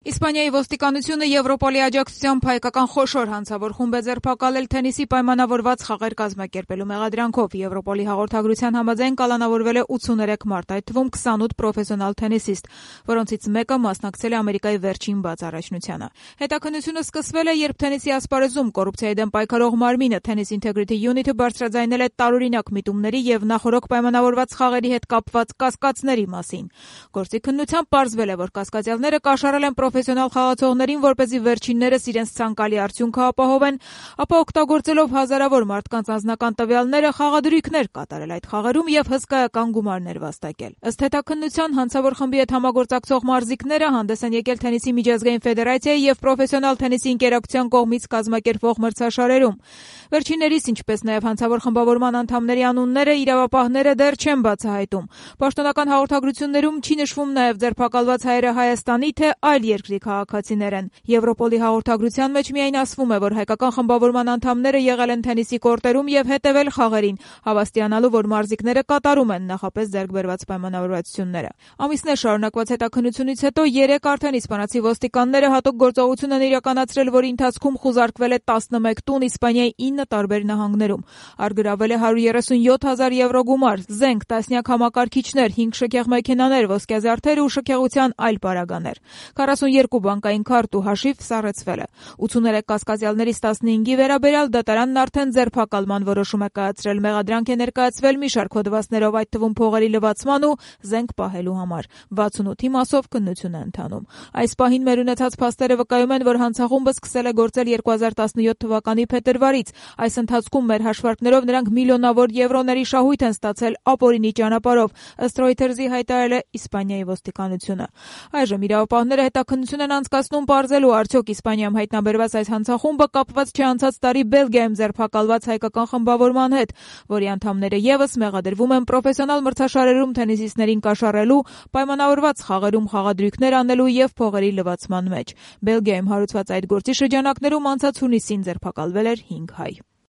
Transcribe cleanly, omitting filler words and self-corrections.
Իսպանիայի ոստիկանությունը Եվրոպոլի աջակցությամբ հայկական խոշոր հանցավոր խումբ է ձերբակալել թենիսի պայմանավորված խաղեր կազմակերպելու մեղադրանքով։ Եվրոպոլի հաղորդագրության համաձայն կալանավորվել է 83 մարդ, այդ թվում 28 պրոֆեսիոնալ թենիսիստ, որոնցից մեկը մասնակցել է Ամերիկայի վերջին բաց առաջնությանը։ Հետաքննությունը սկսվել է, երբ թենիսի ասպարեզում կոռուպցիայի դեմ պայքարող մարմինը Tennis Integrity Unit-ը բարձրաձայնել է տարօրինակ միտումների եւ նախօրոք պայմանավորված խաղերի հետ կապված կասկածների մասին։ Գործի քննությամբ պարզվել է, որ կասկածյալները կաշառել են պրոֆեսիոնալ խաղացողներին, որպեսզի վերջիններս իրենց ցանկալի արդյունքը ապահովեն, ապա օգտագործելով հազարավոր մարդկանց անձնական տվյալները խաղադրույքներ կատարել այդ խաղերում եւ հսկայական գումարներ վաստակել։ Ըստ հետաքննության, հանցավոր խմբի հետ համագործակցող մարզիկները հանդես են եկել Թենիսի միջազգային ֆեդերացիայի եւ պրոֆեսիոնալ թենիսի ընկերակցության կողմից կազմակերպվող մրցաշարերում։ Վերջիններիս, ինչպես նաեւ հանցավոր խմբավորման անդամների անունները իրավապահները դեռ չեն բացահայտում։ Պաշտոնական հաղորդագրություններում չի նշվում նաեւ ձերբակալված հայերը Հայաստանի թե այլ երկրի քաղաքացիներ են։ Եվրոպոլի հաղորդագրության մեջ միայն ասվում է, որ հայկական խմբավորման անդամները եղել են թենիսի կորտերում եւ հետեւել խաղերին, հավաստիանալու, որ մարզիկները կատարում են նախապես ձեռք բերված պայմանավորվածությունները։ Ամիսներ շարունակված հետաքննությունից հետո 3 արդեն իսպանացի ոստիկանները հատուկ գործողություն են իրականացրել, որի ընթացքում խուզարկվել է 11 տուն Իսպանիայի 9 տարբեր նահանգներում։ Արգրավել է 137,000 եվրո գումար, զենք, տասնյակ համակարգիչներ, 5 շքեղ մեքենաներ, ոսկեզարդեր ու շքեղության այլ պարագաներ։ 42 բանկային քարտ ու հաշիվ սառեցվել է։ 83 կասկածյալներից 15-ի վերաբերյալ դատարանն արդեն ձերբակալման որոշում է կայացրել։ Մեղադրանք է ներկայացվել մի շարք հոդվածներով, այդ թվում փողերի լվացման ու զենք պահելու համար։ 68-ի մասով քննություն է ընթանում։ Այս պահին մեր ունեցած փաստերը վկայում են, որ հանցախումբը սկսել է գործել 2017 թվականի փետրվարից։ Այս ընթացքում մեր հաշվարկներով նրանք միլիոնավոր եվրոների շահույթ են ստացել ապօրինի ճանապարհով, ըստ Reuters-ի հայտարարել է Իսպանիայի ոստիկանությունը։ Այժմ իրավապահները հետաքննություն են անցկացնում պարզելու, արդյոք Իսպանիայում հայտնաբերված այս հանցախումբը կապված չէ անցած տարի Բելգիայում ձերբակալված հայկական խմբավորման հետ, որի անդամները եւս մեղադրվում են պրոֆեսիոնալ մրցաշարերում թենիսիստներին կաշառելու, պայմանավորված խաղերում խաղադրույքներ անելու եւ փողերի լվացման մեջ։ Բելգիայում հարուցված այդ գործի շրջանակներում անցած հունիսին ձերբակալվել էր 5 հայ։